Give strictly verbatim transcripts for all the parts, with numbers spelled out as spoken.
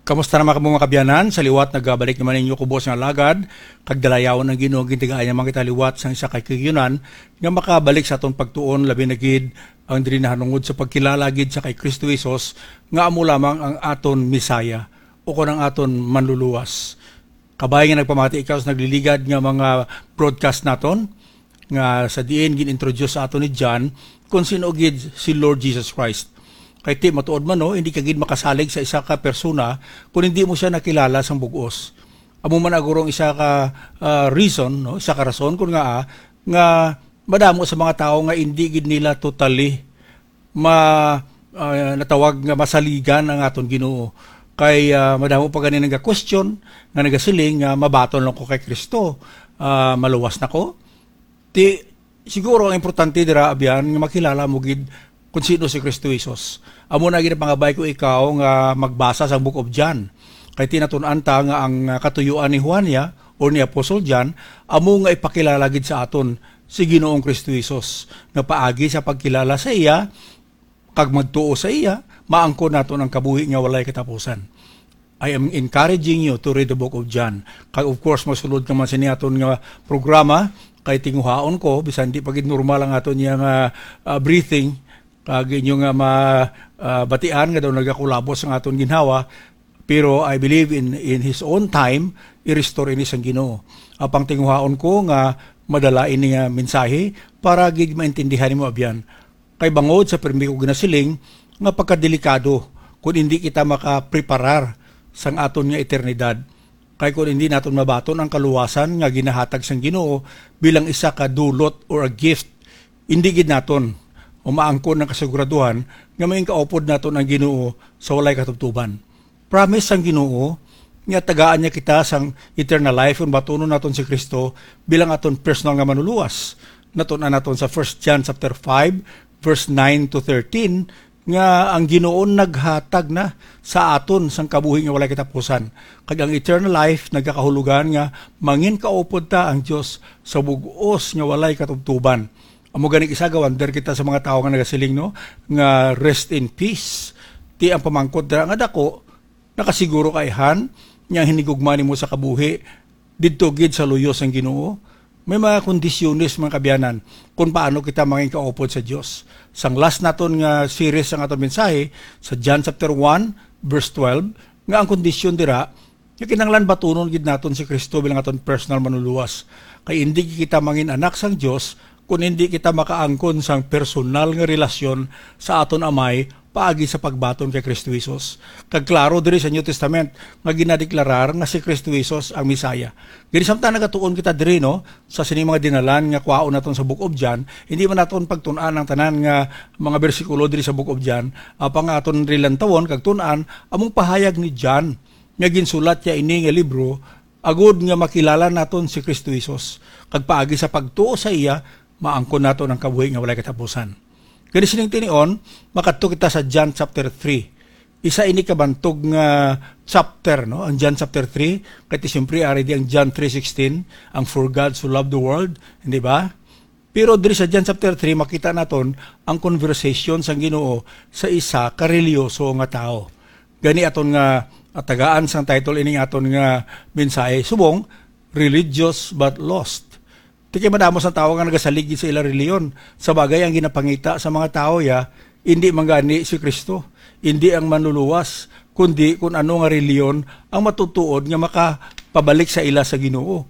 Kamusta naman kamo, mga kabyanan? Sa liwat, nagabalik naman ninyo kubos nga alagad, kag dalayawon ang Ginoo, gintagaan niya man kita liwat sang isa ka kayunan nga makabalik sa aton pagtuon, labi na gid ang diri nahanungod sa pagkilala gid sa kay Kristo Jesus nga amo lamang ang aton Messiah o kon ang aton Manluluwas. Kabay nga nagpamati ikaw sa nagliligad nga mga broadcast naton, nga sa diin gin-introduce sa aton ni John kung sino gid si Lord Jesus Christ. Kay ti matuod man, no, hindi ka gid makasalig sa isa ka persona kung hindi mo siya nakilala sang bug-os. Amo man agurong isa ka, ah, reason, no, isa ka rason kung nga, ah, nga madamo sa mga tawo nga hindi gid nila totally ma-, ah, natawag nga masaligan ang aton Ginoo. Kay, ah, madamo pa gani naga-question nga nagasiling nga mabaton lang ko kay Kristo, ah, maluwas na ko. Ti, siguro ang importante dira, abyan, nga makilala mo gid kung sino si Kristo Jesus. Amo na gid ang pangabay ko ikaw nga magbasa sa Book of John. Kay tinatun-an ta nga ang, ah, katuyuan ni Juan niya or ni Apostle John amo nga ipakilala gid sa aton si Ginoong Kristo Jesus, nga paagi sa pagkilala sa iya kag magtuo sa iya, maangkon naton ang kabuhi nga walay katapusan. I am encouraging you to read the Book of John. Kag of course, masulod ka man sini aton nga programa, kay tinguhaon ko, bisan di pa gid normal ang aton niya nga, ah, breathing, kag inyo nga ma-, ah, batian nga daw nagakulabos ang aton ginhawa, pero I believe in, in His own time, i-restore ini sang Ginoo. Apang tinguhaon ko nga madala ini nga mensahe para gid maintindihan nimo, abyan. Kay bangod sa pirmi ko ginasiling nga pagkadelikado kon hindi kita makapreparar sang aton nga eternidad. Kay kon hindi naton mabaton ang kaluwasan nga ginahatag sang Ginoo bilang isa ka dulot or a gift, hindi gid naton o maangkon ang kasiguraduhan nga maingkaupod naton ang Ginoo sa walay katubtoban. Promise sang Ginoo nga tagaan niya kita sang eternal life kon batunon naton si Kristo bilang aton personal nga manluluwas. Natun-an naton sa First John chapter five, verse nine to thirteen, nga ang Ginoo naghatag na sa aton sang kabuhi nga walay katapusan. Kag ang eternal life nagakahulugan nga manginkaupod ta ang Dios sa bug-os nga walay katubtoban. Amo gani, isa, ga-wonder kita sa mga tawo nga nagasiling, no, nga, "Rest in peace." Ti ang pamangkot dira nga dako, nakasiguro ka, ayhan, nga ang hinigugma nimo sa kabuhi didto gid sa luyo sang Ginoo? May mga kondisyones, mga kabyanan, kung paano kita mangin kaupod sa Dios. Sang last naton nga series, ang aton mensahe sa John chapter one, verse twelve, nga ang kondisyon dira nga kinahanglan batunon gid naton si Kristo bilang aton personal manluluwas. Kay indi kita mangin anak sang Dios kon indi kita makaangkon sang personal nga relasyon sa aton Amay paagi sa pagbaton kay Kristo Jesus. Kag klaro diri sa New Testament nga ginadeklarar nga si Kristo Jesus ang Messiah. Gani, samtang nagatuon kita diri, no, sa sini mga dinalan nga kwaon naton sa Book of John, hindi man naton pagtun-an ang tanan nga mga bersikulo diri sa Book of John, apang aton rilantawon kag tun-an among pahayag ni John nga ginsulat niya ini nga libro agod nga makilala naton si Kristo Jesus, kag paagi sa pagtuo sa iya, maangkon naton ang kabuhi nga walay katapusan. Kani sining tinion, makadto kita sa John chapter three. Isa ini ka bantog nga chapter, no? Ang John chapter three, kay ti siyempre ari di ang John three sixteen, ang "For God so loved the world," hindi ba? Pero diri sa John chapter three, makita naton ang conversation sang Ginoo sa isa ka relihiyoso nga tawo. Gani aton nga atagaan sang title ining aton nga mensahe, subong, "Religious but Lost." Ti kay madamo sang tawo nga nagasalig sa ila relihiyon. Sa bagay, ang ginapangita sa mga tawo ya, indi man gani si Kristo, indi ang Manluluwas, kundi kun ano nga relihiyon ang matutuod nga makapabalik sa ila sa Ginoo.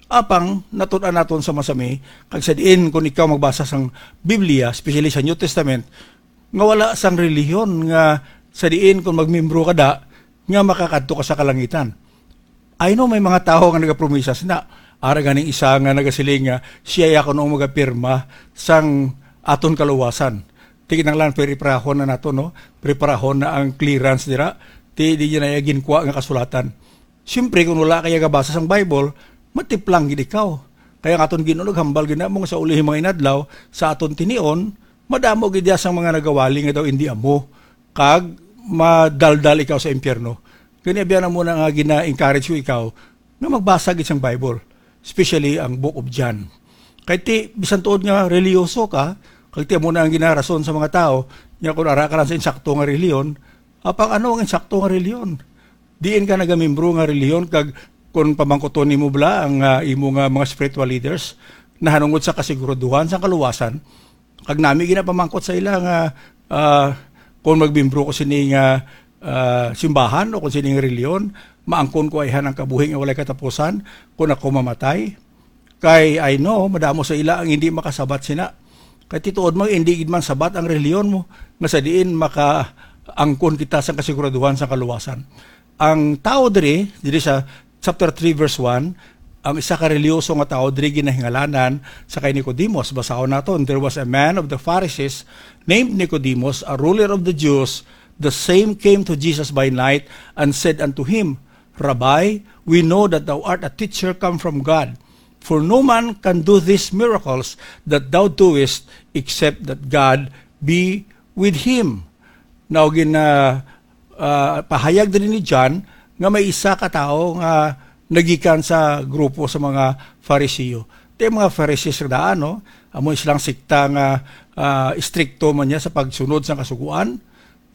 Apang natun-an naton sa masami, kag sa diin kun ikaw magbasa sang Biblia, especially sa New Testament, nga wala sang relihiyon nga sa diin kun magmembro ka da, nga makakadto ka sa kalangitan. I know may mga tawo nga nagapromisa sina. Ara ganing isa nga nagasiling nga siya ya kuno magapirma sang aton kaluwasan. Ti kinahanglan preparahon na nato, no? Preparahon na ang clearance dira. Ti di na iya ginkwa nga kasulatan. Siyempre, kung wala kaya gabasa sang Bible, matiplang gid ikaw. Kaya ang aton Ginoo naghambal gid na mo nga sa ulihing mga inadlaw, sa aton tinion, madamo gid iya sang mga nagawali nga daw indi amo, kag madaldal ikaw sa impyerno. Gani, abyan na muna nga gina-encourage ko ikaw nga magbasa gid sang Bible, especially ang Book of John. Kay ti, bisan tuod nga relihiyoso ka, kag ti amo na ang ginarason sa mga tawo, nga kung ara ka lang sa insakto nga relihiyon, apang ano ang insakto nga relihiyon? Diin ka nagamimbro nga relihiyon, kag kon pamangkuton nimo bala ang, ah, imo nga mga spiritual leaders, nahanungod sa kasiguraduhan sa kaluwasan, kag nami gina pamangkot sa ila nga, ah, kon magmimbro ko sini nga, ah, simbahan o kon sini nga relihiyon, maangkon ko ayhan ang kabuhi nga walay katapusan kon ako mamatay. Kay I know, madamo sa ila ang hindi makasabat sina. Kay tituod man, hindi gid man sabat ang relihiyon mo, nga sa diin makaangkon kita sang kasiguraduhan sang kaluwasan. Ang tawo diri, diri sa chapter three, verse one, ang isa ka relihiyoso nga tawo diri ginahingalanan sa kay Nicodemus. Basahon naton, "There was a man of the Pharisees named Nicodemus, a ruler of the Jews. The same came to Jesus by night and said unto him, 'Rabbi, we know that thou art a teacher come from God. For no man can do these miracles that thou doest except that God be with him.'" Now, gin, ah, ah, pahayag diri ni John nga may isa ka tawo nga nagikan sa grupo sa mga Fariseo. Ti mga Pharisees nga daan, no? Amo silang sekta nga, ah, istrikto man niya sa pagsunod sa kasugoan.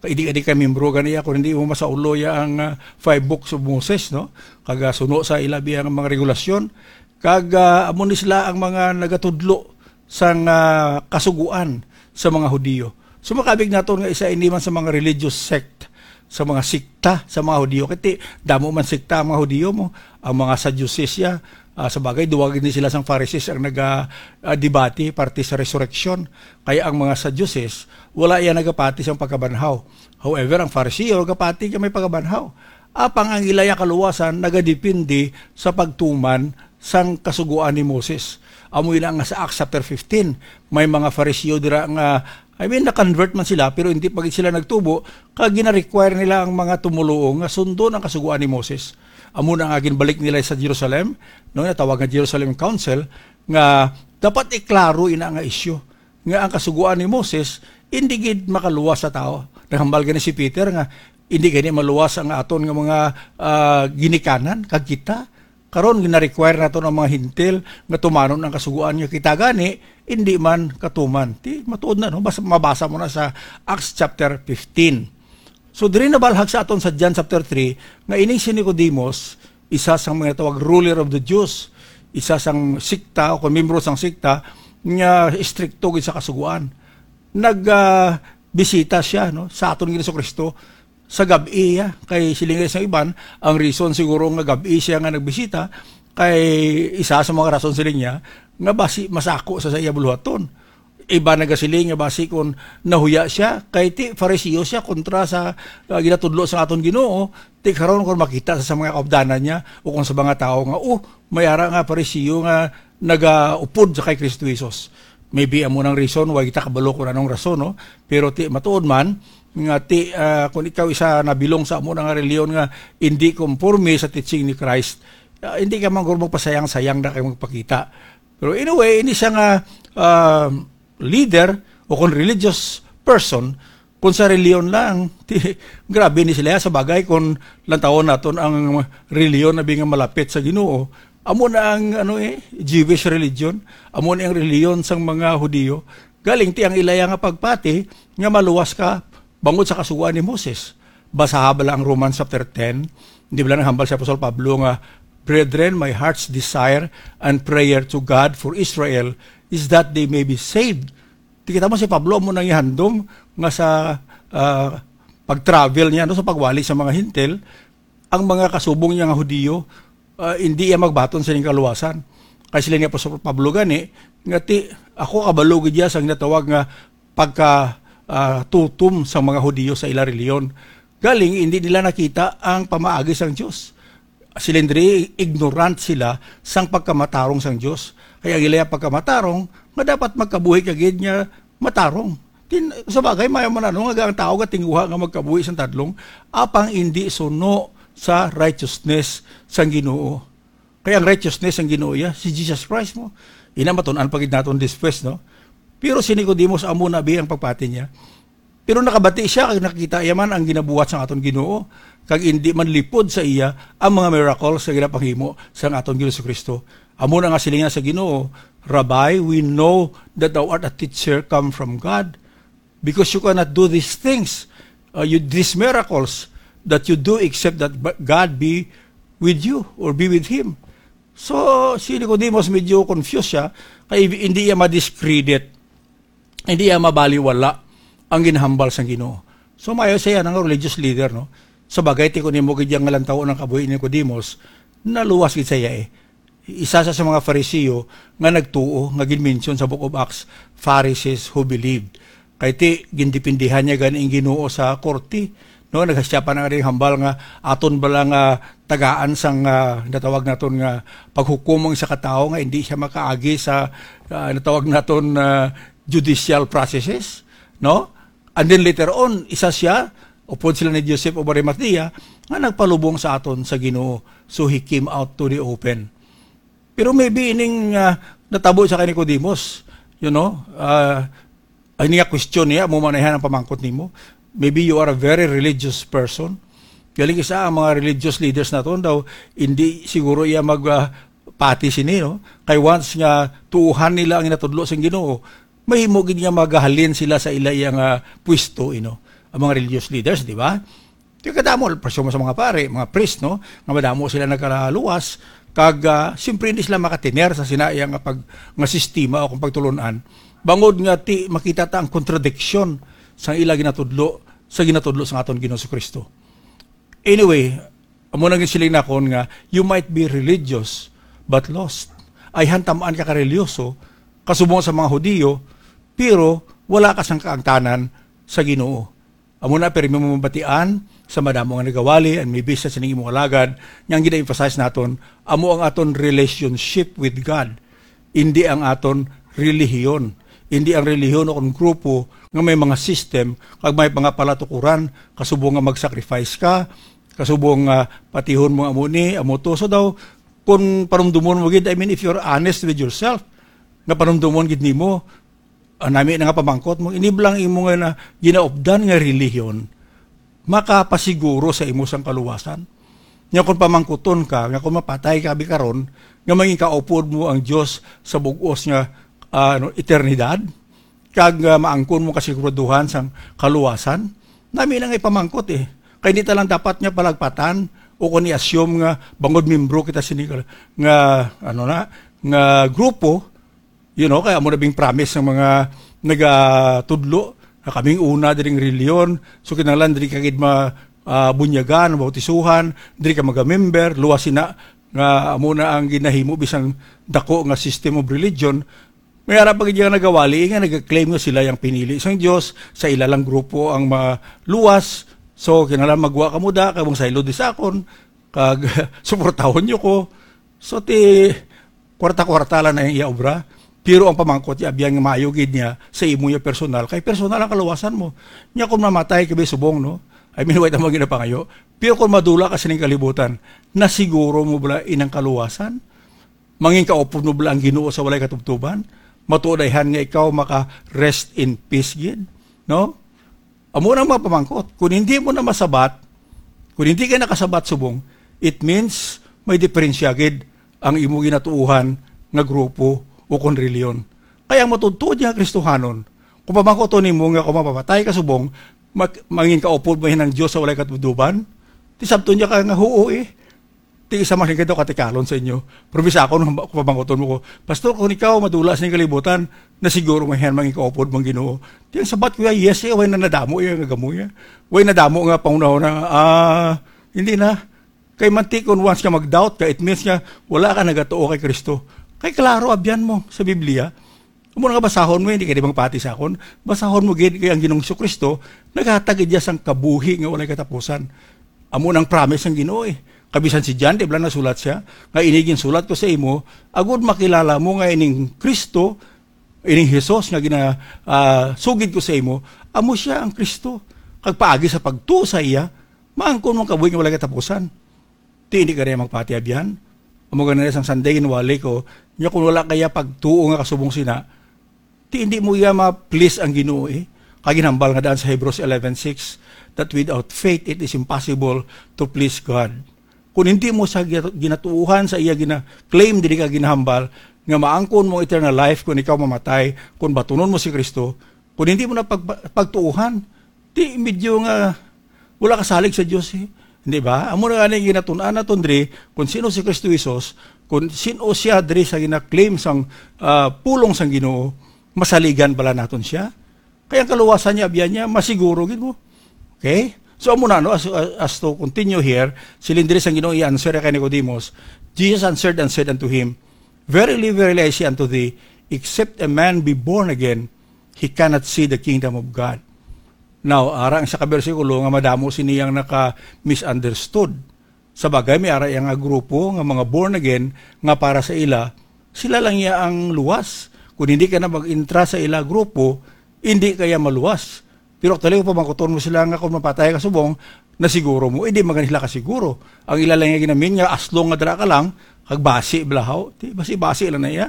Kay di ka, di ka membro gani, kung hindi mo masaulo ya ang, ah, five books of Moses, no? Kag, ah, suno sa ila biyang mga regulasyon. Kag, ah, amo ni sila ang mga nagatudlo sang, ah, kasugoan sa mga Hudiyo. So, makabig naton nga isa ini man sa mga religious sect, sa mga sikta sa mga Hudiyo. Kay ti, damo man sikta ang mga Hudiyo mo. Ang mga Sadducees ya, ah, sa bagay, duwa gid ni sila sang Pharisees ang naga, ah, debate parte sa resurrection. Kaya ang mga Sadducees, wala iya nagapati sang pagkabanhaw. However, ang Fariseo nagapati nga may pagkabanhaw. Apang ang ilaya kaluwasan nagadepende sa pagtuman sang kasugoan ni Moses. Amo ina nga sa Acts chapter fifteen, may mga Fariseo dira nga, I mean, na-convert man sila, pero hindi pa gid sila nagtubo, kag gina-require nila ang mga tumoluo nga sundon ang kasugoan ni Moses. Amo na nga ginbalik nila sa Jerusalem, no, natawag nga Jerusalem Council, nga dapat iklaro ina nga isyu nga ang kasugoan ni Moses hindi gid makaluwas sa tawo. Naghambal gani si Peter nga hindi gani maluwas ang aton nga mga, ah, ginikanan kag kita. Karon, gina-require naton ang mga Hentil nga tumanon ang kasugoan nga kita gani hindi man katuman. Ti, matuod na, no? Bas-, mabasa mo na sa Acts chapter fifteen. So, diri nabalhag sa aton sa John chapter three nga ining si Nicodemus, isa sang mga tawag ruler of the Jews, isa sang sikta o kon miyembro sang sikta nga istrikto gid sa kasugoan. Nag, ah, bisita siya, no, sa aton Ginoong Kristo sa gab-i, ya. Kay siling sa iban, ang reason siguro nga gab-i siya nga nagbisita kay isa sa mga rason, siling niya, nga basi masako sa, sa iya buluhaton. Iba nagasiling nga basi kon nahuya siya, kay ti Fariseo siya kontra sa, ah, ginatudlo sa aton Ginoo, ti karon kon makita sa, sa mga kaupdanan niya o kung sa mga tawo nga, "Oh, may ara nga Fariseo nga nagaupod sa kay Kristo Jesus." Maybe amo nang reason why kita kabalo kung anong rason, no? Pero ti matuod man nga ti, ah, kung ikaw isa nabilong sa amo na nga reliyon nga hindi konforme sa teaching ni Christ, ah, hindi ka man guro magpasayang-sayang na kay magpakita. Pero in a way, ini siya nga, ah, leader o kon religious person, kon sa reliyon lang, ti, grabe ni sila. Sa bagay, kon lantawon naton ang reliyon na nga malapit sa Ginoo, amo na ang, ano, eh, Jewish religion, amo na ang reliyon sang mga Hudiyo. Galing ti ang ilaya nga pagpati nga maluwas ka bangod sa kasugoan ni Moses. Basaha bala ang Romans chapter ten. Di bala naghambal si Apostol Pablo nga, "Brethren, my heart's desire and prayer to God for Israel is that they may be saved." Ti kita mo si Pablo, amo nang ihandom nga sa, ah, pag-travel niya, no, sa pagwali sa mga Hintil, ang mga kasubong niya nga Hudiyo, ah, hindi iya magbaton sa ining kaluwasan. Kay sila ni Apostol Pablo gani, nga ti, ako kabalo gid iya sa ginatawag nga pagka, ah, tutom sang mga Hudiyo sa ila reliyon. Galing, hindi nila nakita ang pamaagi sang Dios. Sila diri, ignorant sila sang pagkamatarong sang Dios. Kaya ang ila pagkamatarong, nga dapat magkabuhi ka gid nga matarong. Tin-, sa bagay, mayo man ano nga ang tao gatinguha nga magkabuhi sang tadlong, apang indi suno sa righteousness sang Ginoo. Kay ang righteousness sang Ginoo iya, si Jesus Christ mo. Ina matun-an pa gid naton this verse, no? Pero si Nicodemus, amo na bi ang pagpati niya. Pero nakabati siya, kag nakita iya man ang ginabuhat sang aton Ginoo, kag indi man lipod sa iya ang mga miracles nga ginapanghimo sang aton Ginoong Kristo. Amo na nga siling niya sa Ginoo, "Rabbi, we know that thou art a teacher come from God, because you cannot do these things, uh, you, these miracles, that you do except that ba-, God be with you or be with him." So, si Nicodemus medyo confused siya, kay hindi iya ma-discredit, hindi iya mabaliwala ang ginhambal sang Ginoo. So, maayo siya nga religious leader, no? Sa bagay, ti kun imo gid yang nga lantaw ang kabuhi ni Nicodemus, naluwas gid siya eh. Isa sa, sa mga Fariseo nga nagtuo, nga ginmention sa Book of Acts, Pharisees who believed. Kay ti, gindipindihan niya gani ang Ginoo sa korte, no? Naghasyapan ang ring hambal nga aton bala nga tagaan sang, ah, natawag naton nga paghukom ang isa ka tawo nga hindi siya makaagi sa, ah, natawag naton, ah, judicial processes, no? And then later on, isa siya, upod sila ni Joseph of Arimathea, nga nagpalubong sa aton sa Ginoo. So he came out to the open. Pero maybe ining, ah, natabo sa kay Nicodemus, you know, ah, ay niya question niya, mo manahan ang pamangkot nimo. Maybe you are a very religious person. Galing isa ang mga religious leaders naton daw, hindi siguro iya mag, ah, pati sini, no? Kay once nga tuuhan nila ang ginatudlo sang Ginoo, mahimo gid nga magahalin sila sa ila iya nga pwesto, you know, ang mga religious leaders, di ba? Kaya kadamo, presumo sa mga pare, mga priest, no? Nga madamo sila nagkalaluwas, kag, ah, siyempre hindi sila makatiner sa sina iya nga pag-, nga sistema o kung pagtulon-an. Bangod nga ti, makita ta ang kontradiksyon sa ila ginatudlo, sa ginatudlo sa aton Ginoong Kristo. Anyway, amo na gid siling nakon nga, you might be religious, but lost. Ay hantaman ka kareliyoso, kasubong sa mga Hudiyo, pero wala ka sang kaangtanan sa Ginoo. Amo na, pirmi mo mabatian sa madamo nga nagawali, and maybe sa sining imong alagad, nga ang gina-emphasize naton, amo ang aton relationship with God, hindi ang aton relihiyon. Hindi ang relihiyon o kung grupo nga may mga system, kag may mga palatukuran, kasubong nga mag-sacrifice ka, kasubong nga patihon mo amo ni, amo to. So daw, kung panumdumon mo gid, I mean, if you're honest with yourself, nga panumdumon gid nimo, ah, nami na nga pamangkot mo, ini bala ang imo nga na, ginaupdan nga relihiyon, makapasiguro sa imo sang kaluwasan. Nga kung pamangkuton ka, nga kung mapatay ka abi karon, nga mangin kaupod mo ang Dios sa bug-os nga, ah, ano, eternidad, kag, ah, maangkon mo kasiguraduhan sang kaluwasan, nami na nga ipamangkot eh. Kay di ta lang dapat nga palagpatan o kung i-assume nga bangod membro kita sini nga, nga, ano na, nga grupo, you know, kaya amo na bing promise ng mga nagatudlo na kaming una diring reliyon, so kinahanglan diri ka gid ma-, ah, bunyagan, mabautisuhan, diri ka magamember, luwas sina nga amo na ang ginahimo bisang dako nga system of religion. May ara pa gid nga nagawali nga nag-claim nga sila ang pinili sang Dios, sa ila lang grupo ang maluwas. So kinahanglan magwa kamo da, kay mong saylo di sa akon, kag suportahon niyo ko. So ti kwarta-kwarta lang na ang iya obra. Pero ang pamangkot niya, abyan nga maayo gid niya sa imo niya personal. Kay personal ang kaluwasan mo. Nya kung mamatay ka, subong, no? I mean, wala mo ginapangayo. Pero kung madula ka sining kalibutan, nasiguro mo bala inang kaluwasan? Mangin kaupod mo bala ang Ginoo sa walay katubtuban? Matuod ayhan nga ikaw maka rest in peace gid, no? Amo na ang mga pamangkot. Kung hindi mo na masabat, kung hindi ka nakasabat subong, it means may diferensya gid ang imo ginatuohan nga grupo o kon reliyon. Kaya ang matuod-tuod nga Kristohanon, kung pamangkoton nimo nga kung mapapatay ka subong, mak-, mangin kaupod mo hinang Dios sa walay katuduban, ti sabton niya ka nga huo eh. Ti isa man kayo katikalon sa inyo. Pero bisa ako nung pamangkoton mo ko, "Pastor, kung ikaw madula sa inyong kalibutan, na siguro may hen mangikaupod mang Ginoo." Ti ang sabat ko, "Yes, eh, way na nadamo iya nga gamo iya. Way nadamo nga pangunaw na, ah, hindi na." Kay mantikon, once ka mag-doubt ka, it means nga wala ka nagatuo kay Kristo. Kay klaro, abyan mo sa Biblia. Amo nga basahon mo, hindi ka di magpati sa akon. Basahon mo gid kay ang Ginoong Kristo naghatag gid sang kabuhi nga walay katapusan. Amo nang promise sang Ginoo eh. Kabisan si John, di ba nasulat siya? Nga ini ginsulat ko sa imo, agud makilala mo nga ining Kristo, ining Jesus nga gina, ah, sugid ko sa imo, amo siya ang Kristo. Kag paagi sa pagtuo sa iya, maangkon mo ang kabuhi nga walay katapusan. Ti hindi ka na magpatiabyan. Amo gani sang Sunday ginwali ko, nya kung wala kaya pagtuo nga kasubong sina, ti hindi mo iya ma-please ang Ginoo eh. Kay ginhambal nga daan sa Hebrews eleven six, that without faith it is impossible to please God. Kung hindi mo sa gina-, ginatuuhan sa iya gina-claim diri ka ginahambal nga maangkon mo eternal life kung ikaw mamatay, kung batunon mo si Kristo, kung hindi mo na pag-, pagtuuhan, di medyo nga Wala ka salig sa Dios, eh. Di ba? Amo na gani ginatun-an naton diri kung sino si Kristo Jesus, kung sino siya diri sa gina-claim sang, ah, pulong sang Ginoo, masaligan bala naton siya. Kaya ang kaluwasan niya, abyan niya, masiguro gid mo. Okay? So, amo na, no? As, as to continue here, siling diri sang Ginoo i-answer kay Nicodemus, Jesus answered and said unto him, "Verily, verily, I say unto thee, except a man be born again, he cannot see the kingdom of God." Now, ara ang isa ka bersikulo nga madamo sini ang naka-misunderstood. Sa bagay, may ara iya nga grupo nga mga born again nga para sa ila, sila lang iya ang luwas. Kung hindi ka na mag-intra sa ila grupo, hindi kaya maluwas. Pero actually, kung pamangkuton mo sila nga kung mapatay ka subong, nasiguro mo, hindi man sila kasiguro. Ang ila lang nga ginamin nga, as long nga dala ka lang, kag basi, blahaw, di, basi-basi lang na iya.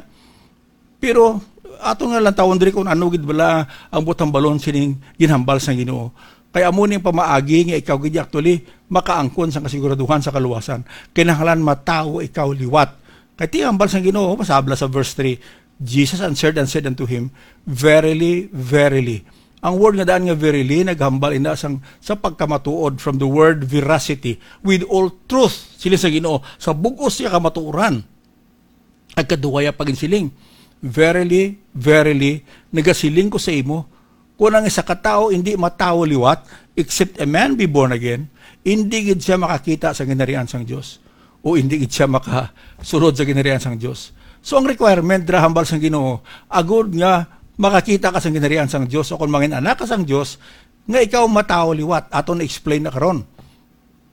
Pero ato nga lang tawon diri kung ano gid bala ang butang balon sining ginhambal sang Ginoo. Kay amo ni ang pamaagi nga ikaw gid actually makaangkon sang kasiguraduhan sa kaluwasan. Kinahanglan matawo ikaw liwat. Kay ti hambal sang Ginoo, masabla sa verse three, "Jesus answered and said unto him, Verily, verily." Ang word nga daan nga verily naghambal ina sang sa pagkamatuod, from the word veracity, with all truth, sila sa Ginoo, sa bug-os nga kamatuoran. Ang kaduwaya paginsiling, "Verily, verily, nagasiling ko sa imo, kung ang isa ka tawo hindi matawo liwat, except a man be born again, hindi gid siya makakita sa ginharian sang Dios, o hindi gid siya makasulod sa ginharian sang Dios." So, ang requirement dira hambal sang Ginoo, agud nga makakita ka sa ginharian sang Dios, o kung mangin anak ka sang Dios, nga ikaw matawo liwat. Aton na-explain na karon.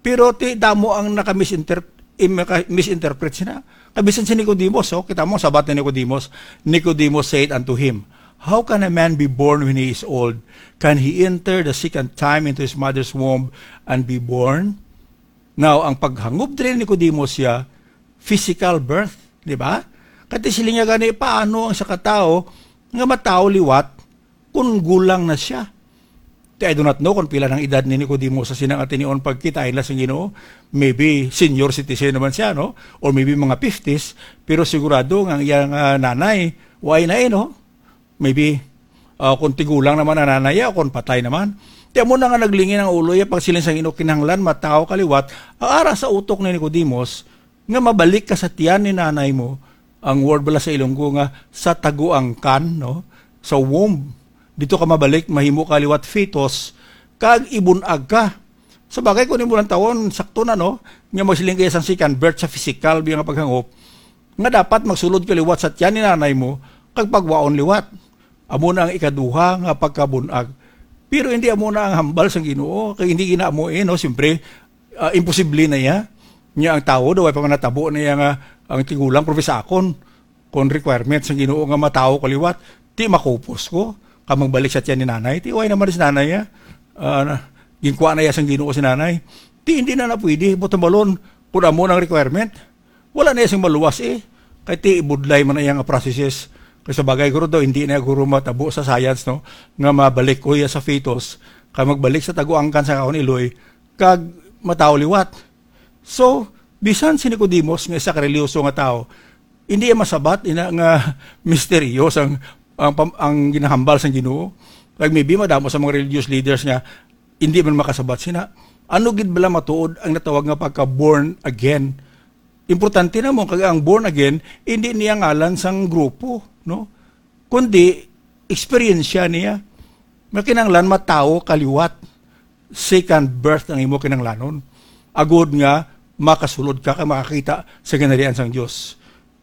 Pero ti damo ang naka-misinter-, im-, naka-, misinterpret sina. Kabisan si Nicodemus, oh, kita mo, sabat ni Nicodemus, Nicodemus said unto him, "How can a man be born when he is old? Can he enter the second time into his mother's womb and be born?" Now, ang paghangop diri ni Nicodemus siya, physical birth, di ba? Kati siling niya gani, paano ang isa ka tawo nga matawo liwat kung gulang na siya? Ti, I do not know kung pila nang edad ni Nicodemus sa sina nga tinion pagkita ila sang Ginoo. Maybe senior citizen naman siya, no? Or maybe mga fifties, pero sigurado nga ang iyang, ah, nanay, way na, eh, no? Maybe, ah, kung tigulang naman ang nanay, o kung patay naman. Ti amo na nga naglingin ang ulo iya pagsiling sang Ginoo, kinahanglan matawo ka liwat, ang ara sa utok ni Nicodemus, nga mabalik ka sa tiyan ni nanay mo, ang word bala sa Ilonggo nga sa taguangkan, no? Sa womb. Dito ka mabalik, mahimo ka liwat fetus, kag ibunag ka. Sa bagay, kung imo lang tawon, sakto na, no? Nga magsiling kaya sang second birth sa physical, biya nga paghangop, nga dapat magsulod ka liwat sa tiyan ni nanay mo, kag pagwaon liwat. Amo na ang ikaduha nga pagkabunag. Pero hindi amo na ang hambal sang Ginoo, kay hindi gina amo, eh, no? Siyempre, ah, imposible na iya. Nya ang tawo daw ay pa man natabo na iya nga ang tigulang, pero sa akon, kung requirement sang Ginoo nga matawo ka liwat, ti makupos ko, ka magbalik sa tiyan ni nanay, ti way naman si nanay, ah, ah, na, ginkuha na iya sang Ginoo si nanay. Ti hindi na na pwede, buot silingon, kung amo nang requirement, wala na iya sing maluwas, eh. Kay ti ibudlay man na iya nga processes. Kay sa bagay, guro, daw, hindi na guro matabo sa science, no, nga mabalik ko iya sa fetus, kay magbalik sa taguangkan sa akon iloy, kag matawo liwat. So, bisan si Nicodemus nga isa ka relihiyoso nga tawo, hindi iya masabat ina nga misteryo sang ang, pam-, ang ginahambal sang Ginoo. Like, maybe madamo sa mga religious leaders nga hindi man makasabat sina. Ano gid bala matuod ang natawag nga pagka-born again? Importante na mo, kag ang born again, hindi niya ngalan sang grupo, no? Kundi, eksperyensya niya. Nga kinahanglan matawo ka liwat. Second birth ang imo kinahanglanon. Agud nga makasulod ka kag makakita sa ginharian sang Dios.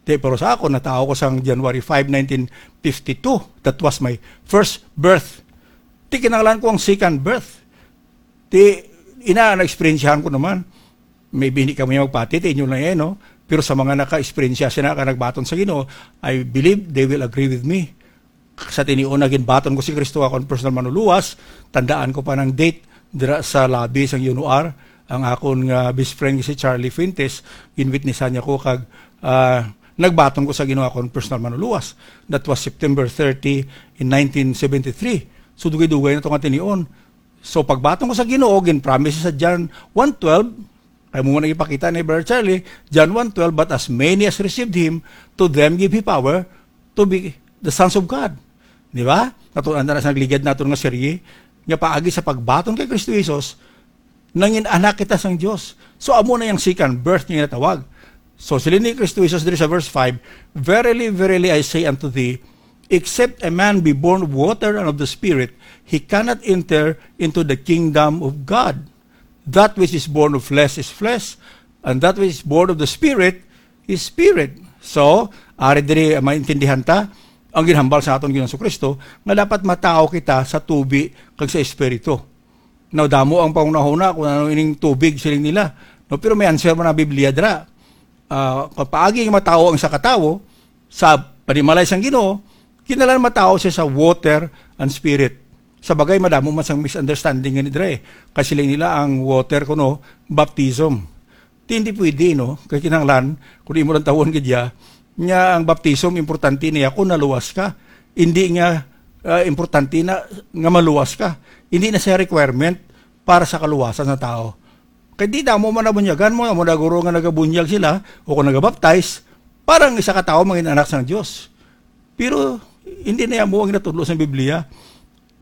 Ti, pero sa ako, natawo ko sang January five, nineteen fifty-two. That was my first birth. Ti, kinahanglan ko ang second birth. Ti, ina, na-eksperyensyahan ko naman. Maybe hindi kamo magpati, ti inyo lang yan, no? Pero sa mga naka-eksperyensya sina ka nagbaton sa Ginoo, I believe they will agree with me. Sa tinion na ginbaton ko si Kristo akon personal manuluwas, tandaan ko pa nang date dira sa lobby sang UNOR, ang akon nga best friend si Charlie Fuentes, ginwitnessan niya ko kag, ah, nagbaton ko sa Ginoo akon personal manuluwas. That was September thirty in nineteen seventy-three. So, dugay-dugay na to nga tinion. So, pagbaton ko sa Ginoo, gin-promise sa John one twelve, kay mo na ipakita ni Brother Charlie, John one twelve, "But as many as received him, to them give he power to be the sons of God." Di ba? Nato-, anda na sa nagligad naton nga serye, nga paagi sa pagbaton kay Kristo Jesus, Nangin-anak kita sang Dios. So, amo na yang second birth nga ginatawag. So, siling ni Cristo Jesus diri sa verse five, "Verily, verily, I say unto thee, except a man be born of water and of the Spirit, he cannot enter into the kingdom of God. That which is born of flesh is flesh, and that which is born of the Spirit is spirit." So, ari diri maintindihan ta ang ginhambal sa aton Ginoong Kristo nga dapat matawo kita sa tubi kag sa Espiritu. Now, damo ang panghunahuna kung ano ining tubig, siling nila. No, pero may answer man ang Biblia dira. Ah, kung paagi nga matawo ang isa ka tawo, sa panimalay sang Ginoo, kinahanglan matawo siya sa water and spirit. Sa bagay, madamo man sang misunderstanding nga ni dre. Kay siling nila ang water kuno, baptism. Di, hindi pwede, no? Kay kinahanglan, kung imo lang tawon gid ya, nga ang baptism, importante niya kung naluwas ka. Hindi nga, ah, importante na nga maluwas ka. Hindi na siya requirement para sa kaluwasan sa tao. Kay di damo man nabunyagan mo, amo na guro nga nagabunyag sila o kung nagabaptize, parang isa ka tawo mangin anak sang Dios. Pero hindi na mo ang natudlo sa Biblia.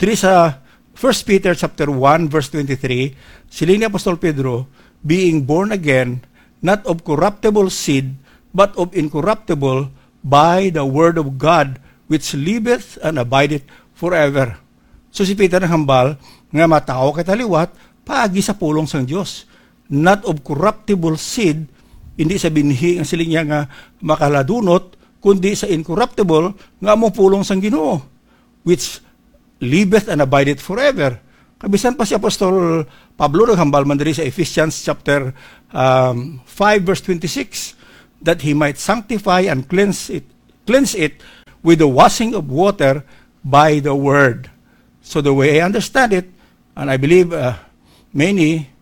Diri sa First Peter chapter one, verse twenty-three, siling ni Apostol Pedro, "Being born again, not of corruptible seed, but of incorruptible, by the word of God, which liveth and abideth forever." So si Peter naghambal nga matawo kita liwat paagi sa pulong sang Dios, not of corruptible seed, hindi sa binhi nga siling niya nga makaladunot, kundi sa incorruptible nga amo pulong sang Ginoo, which liveth and abideth forever. Kabisan pa si Apostol Pablo naghambal man diri sa Ephesians chapter, um, five, verse twenty-six, that he might sanctify and cleanse it, cleanse it with the washing of water by the word. So the way I understand it, and I believe, uh, many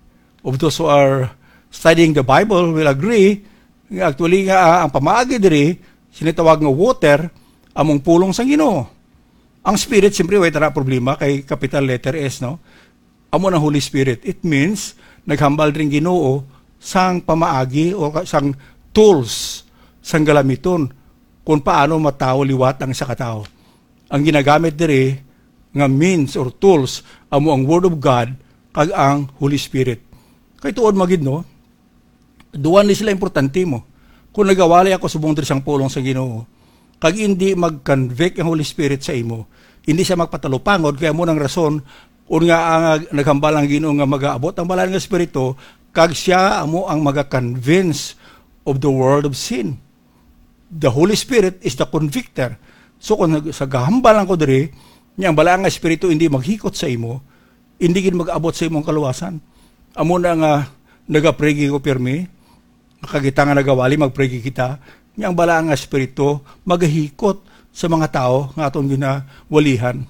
of those who are studying the Bible will agree nga actually nga, ah, ang pamaagi diri, sinitawag nga water, among pulong sang Ginoo. Ang Spirit, siyempre, way tara problema kay capital letter S, no? Amo na Holy Spirit. It means, naghambal ring Ginoo sang pamaagi o ka-, sang tools, sang galamiton, kung paano matawo liwat ang isa ka tawo. Ang ginagamit diri nga means or tools amo ang Word of God kag ang Holy Spirit. Kay tuod magid, no, duwa ni sila importante mo. Kung nagawali ako subong diri sang pulong sa Ginoo, kag hindi mag-convict ang Holy Spirit sa imo, hindi siya magpatalupangod, kaya mo nang rason, un nga ang naghambal ang Ginoo nga magaabot ang Balaan nga Espiritu, kag siya amo ang maga-convince of the world of sin. The Holy Spirit is the convictor. So, kung nag-, sa gahambal lang ko diri, niya ang Balaan nga Espiritu hindi maghikot sa imo, hindi gid mag-abot sa imong kaluwasan. Amo na nga nagaprigi ko pirmi, kag kita nga nagawali, magprigi kita, niya ang Balaan nga Espiritu magahikot sa mga tawo nga aton ginawalihan.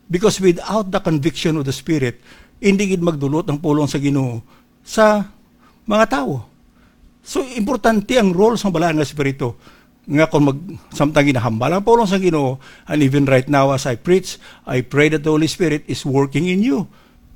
Because without the conviction of the Spirit, hindi gid magdulot ang pulong sa Ginoo sa mga tawo. So, importante ang role sang Balaan nga Espiritu. Nga kung mag-, samtang ginahambal ang pulong sa Ginoo, and even right now as I preach, I pray that the Holy Spirit is working in you.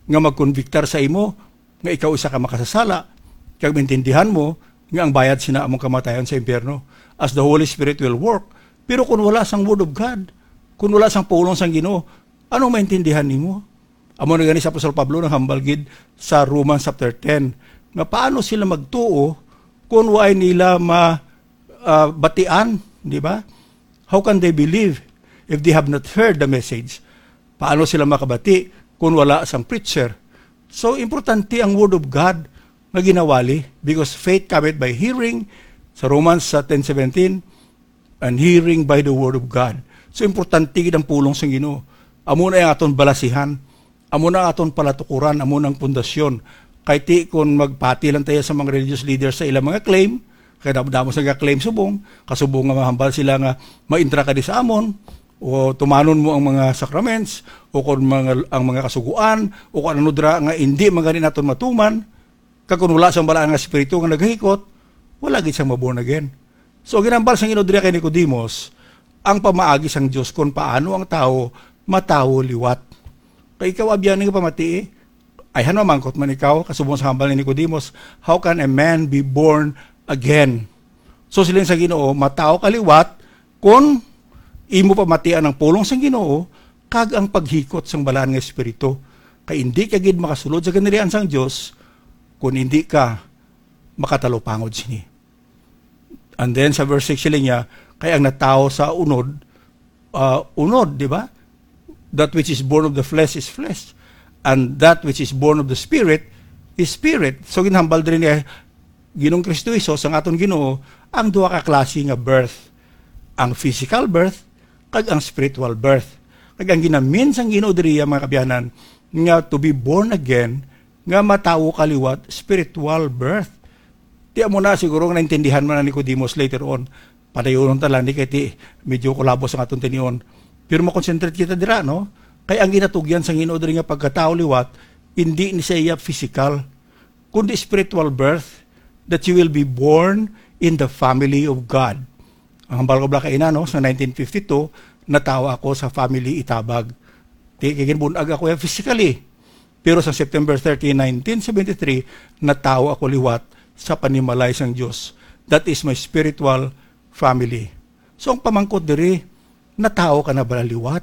Nga magkonbiktar sa imo, nga ikaw isa ka makasasala, kag maintindihan mo nga ang bayad sina among kamatayon sa impyerno, as the Holy Spirit will work. Pero kung wala sang Word of God, kung wala sang pulong sang Ginoo, anong maintindihan nimo? Amo na gani si Apostol Pablo naghambal gid sa Romans chapter ten, nga paano sila magtuo kung waay nila ma-, ah, batian, di ba? How can they believe if they have not heard the message? Paano sila makabati kung wala sang preacher? So, importante ang Word of God nga ginawali, because faith cometh by hearing, sa Romans sa ten seventeen, and hearing by the word of God. So, importante gid ang pulong sang Ginoo. Amo na ang aton balasihan. Amo na ang aton palatukuran. Amo na ang pundasyon. Kay ti kon magpati lang tayo sa mga religious leaders sa ilang mga claim, kay damo-damo sa claim subong, kasubong nga mahambal sila nga maintra ka di sa amon, o tumanon mo ang mga sacraments, o kon mga, ang mga kasuguan, o kon ano dira nga hindi man gani naton matuman, kag kon wala sang Balaan nga Espiritu nga nagahikot, wala gid sang ma-born again. So, ginambal sang Ginoo diri kay Nicodemus ang pamaagi sang Dios kon paano ang tawo matawo liwat. Kay ikaw, abyan nga pamatii, ayhan mamangkot man ikaw, kasubong sa hambal ni Nicodemus, "How can a man be born again?" So, siling sa Ginoo, matawo ka liwat kon imo pamatian ang pulong sang Ginoo kag ang paghikot sang Balaan nga Espiritu. Kay indi ka gid makasulod sa ginharian sang Dios kung hindi ka makatalupangod sini. And then sa verse six sila niya, kay ang natawo sa unod, ah, unod, di ba? That which is born of the flesh is flesh, and that which is born of the spirit is spirit. So ginhambal diri ni Ginoong Kristo Jesus, ang aton Ginoo, ang duha ka klase nga birth, ang physical birth kag ang spiritual birth. Kag ang ginamin sang Ginoo diri, mga kabyanan, nga to be born again, nga matawo ka liwat, spiritual birth. Di amo na siguro nga naintindihan man ni Nicodemus later on. Padayonon ta lang ni kay ti medyo kulabos ang aton tinion. Pero makonsentrate kita dira, no? Kay ang ginatugyan sa Ginoo diri nga pagkatawo liwat, hindi ni sa iya physical, kundi spiritual birth, that you will be born in the family of God. Ang hambal ko bala kaina, no, sa nineteen fifty-two, natawo ako sa family Itabag. Di kay ginbun-ag ako ya physically. Pero sa September thirty, nineteen seventy-three, natawo ako liwat sa panimalay sang Dios. That is my spiritual family. So ang pamangkot diri, natawo ka na bala liwat?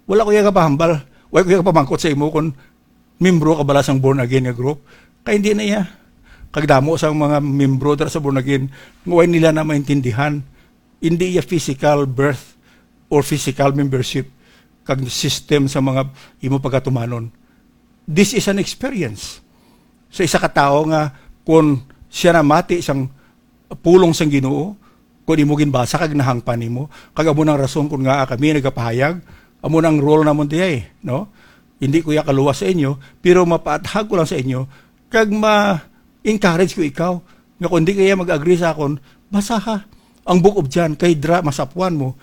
Wala ko iya kapahambal. Wala ko iya kapamangkot sa imo kung membro ka bala sang born again nga group. Kay hindi na iya. Kag damo sang mga membro dira sa born again, nga way nila na maintindihan. Hindi iya physical birth or physical membership kag system sa mga imo pagatumanon. This is an experience sa isa ka tawo nga kung siya namati sang pulong sang Ginoo, kung imo ginbasa kag nahangpan nimo, kag amo nang rason kung ngaa kami nagapahayag, amo nang role namon diay, no? Hindi ko iya kaluwas sa inyo, pero mapaathag ko lang sa inyo, kag ma-encourage ko ikaw, nga kung di kaya mag-agree sa akon, basaha ang Book of John, kay dira masapuan mo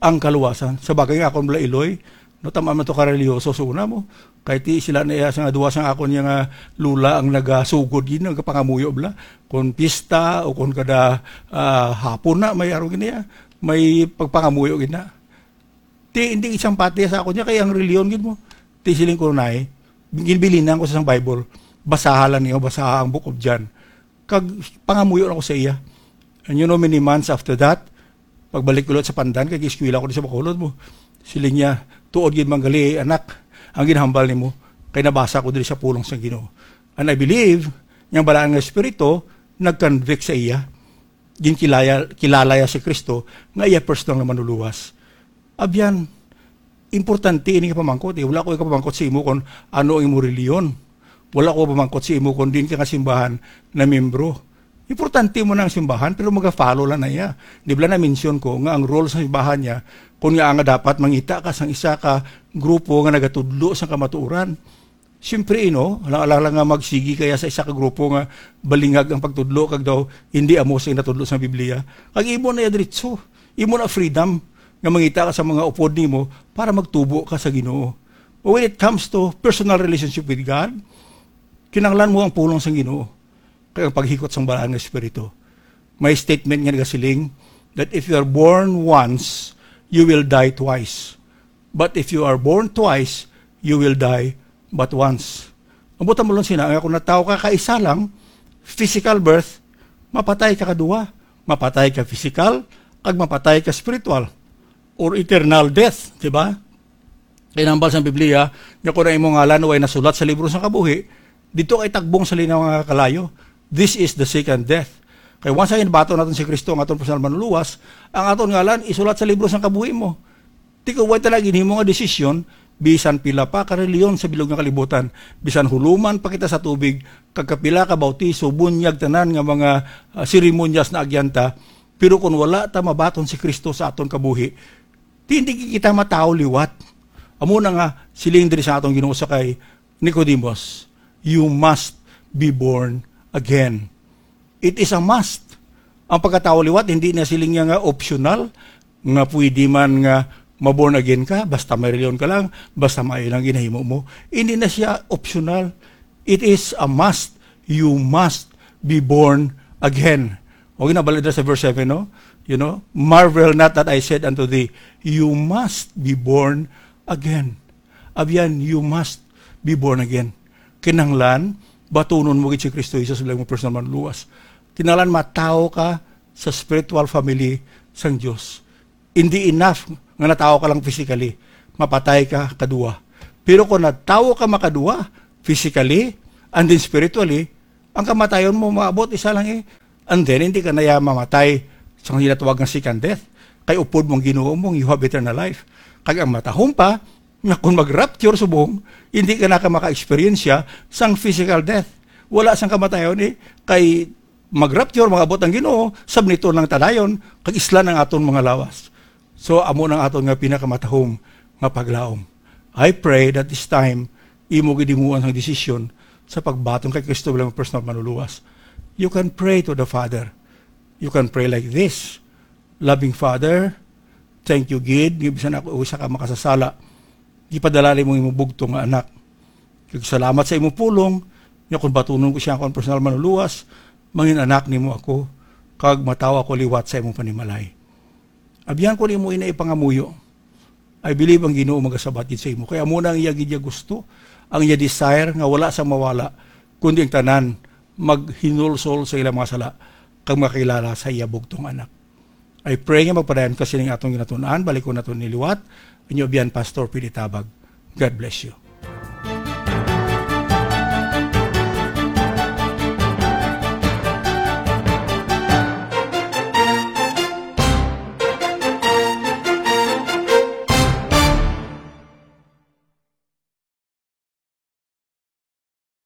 ang kaluwasan. Sa bagay nga akon bala iloy, no, tama man to ka relihiyoso sa una mo. Kay ti sila na iya sa nga duwa sang akon niya nga lula ang nagasugod gid, nagapangamuyo bala. Kung pista o kung kada, ah, hapon na, may aro gid niya, may pagpangamuyo gid na. Ti, hindi isang pati sa akon niya, kay ang reliyon gid mo. Ti siling ko, "Nay, ginbilinan ko sa isang Bible, basaha lang niyo, basaha ang Book of John." Kag pangamuyo na ko sa iya. And you know, many months after that, pagbalik ko ulit sa Pandan, kay eskwela ko di sa Bacolod mo. Siling niya, "Tuod gid man gali, anak, ang ginhambal nimo, kay nabasa ko diri sa pulong sa Ginoo." And I believe, nga ang Balaan nga Espiritu nag-convict sa iya. Ginkilaya-, kilala iya si Kristo nga iya personal nga manluluwas. Abyan, importante ini nga pamangkot, eh. Wala ko ikapamangkot sa imo kung ano ang imo reliyon. Wala ko pamangkot sa imo kung diin ka nga simbahan na membro. Importante mo na ang simbahan, pero maga-follow lang na iya. Di ba na-mention ko nga ang role sa simbahan niya, kung nga nga dapat mangita ka sang isa ka grupo nga nagatudlo sa kamatuoran. Siyempre, no, alang-alang lang nga magsigi kaya sa isa ka grupo nga balingag ang pagtudlo kag daw hindi amo sa natudlo sa Biblia. Kag imo na iya diretso. Imo na freedom nga mangita ka sa mga upod nimo para magtubo ka sa Ginoo. But when it comes to personal relationship with God, kinahanglan mo ang pulong sa Ginoo kag ang paghikot sang Balaan nga Espiritu. May statement nga nagasiling that if you are born once, you will die twice. But if you are born twice, you will die but once. Ang butang mo lang sina, nga kung natawo ka kaisa lang, physical birth, mapatay ka kaduwa. Mapatay ka physical, kag mapatay ka spiritual, or eternal death, di ba? Kay nahambal sa Biblia, nga kung ang imong ngalan way nasulat sa libro sa kabuhi, dito kay tagbong sa linaw nga kalayo. This is the second death. Kay once ang baton naton si Kristo ang aton personal manluluwas, ang aton ngalan isulat sa libro sa kabuhi mo. Ti kung way talaga ginhimo nga desisyon, bisan pila pa ka reliyon sa bilog nga kalibutan, bisan huluman pa kita sa tubig, kag kapila ka bautiso, bunyag tanan nga mga, ah, seremonyas na agyanta, pero kung wala ta mabaton si Kristo sa aton kabuhi, ti hindi kita matawo liwat. Amo na nga, siling diri sa aton Ginoo sa kay Nicodemus, "You must be born again." It is a must. Ang pagkatawo liwat, hindi na siling niya nga optional, nga pwede man nga ma-born again ka, basta may reliyon ka lang, basta may lang ginahimo mo. Hindi na siya optional. It is a must. You must be born again. O, ginabalik na sa verse seven, no? You know, "Marvel not that I said unto thee, you must be born again." Abyan, you must be born again. Kinahanglan, batunon mo gid si Kristo Jesus bilang mo personal manluwas. Kinahanglan matawo ka sa spiritual family sang Dios. Hindi enough nga natawo ka lang physically. Mapatay ka kaduwa. Pero kung natawo ka makaduwa, physically and then spiritually, Ang kamatayon mo maabot isa lang eh. And then, hindi ka na ya mamatay sa ginatawag nga second death. Kay upod mo ang Ginoo mo, you have eternal life. Kag ang matahom pa, nga kung mag-rapture subong, hindi ka na ka maka-experience siya sang physical death. Wala sang kamatayon eh. Kay mag-rapture, mag-abot ang Ginoo, sabniton lang ta dayon, kag islan ang aton mga lawas. So, amo nang aton nga pinakamatahom nga paglaom. I pray that this time, imo gid himuon ang desisyon sa pagbaton kay Kristo bilang personal manluluwas. You can pray to the Father. You can pray like this, "Loving Father, thank you gid nga bisan ako usa ka makasasala, gipadala nimo imong bugtong nga anak. Kag salamat sa imong pulong, nga kung batunon ko siya akong personal manluluwas, mangin anak nimo ako, kag matawa ko liwat sa imong panimalay." Abyan ko nimo ina ipangamuyo. I believe ang Ginoo magasabat gid sa imo. Kay amo na ang iya gid iya gusto, ang iya desire nga wala sa mawala, kundi ang tanan maghinulsol sa ilang mga sala kag makilala sa iya bugtong anak. I pray nga magpadayon ka sining atong ginatun-an, balikon naton ni liwat. Inyo abyan, Pastor Pidi Tabag. God bless you.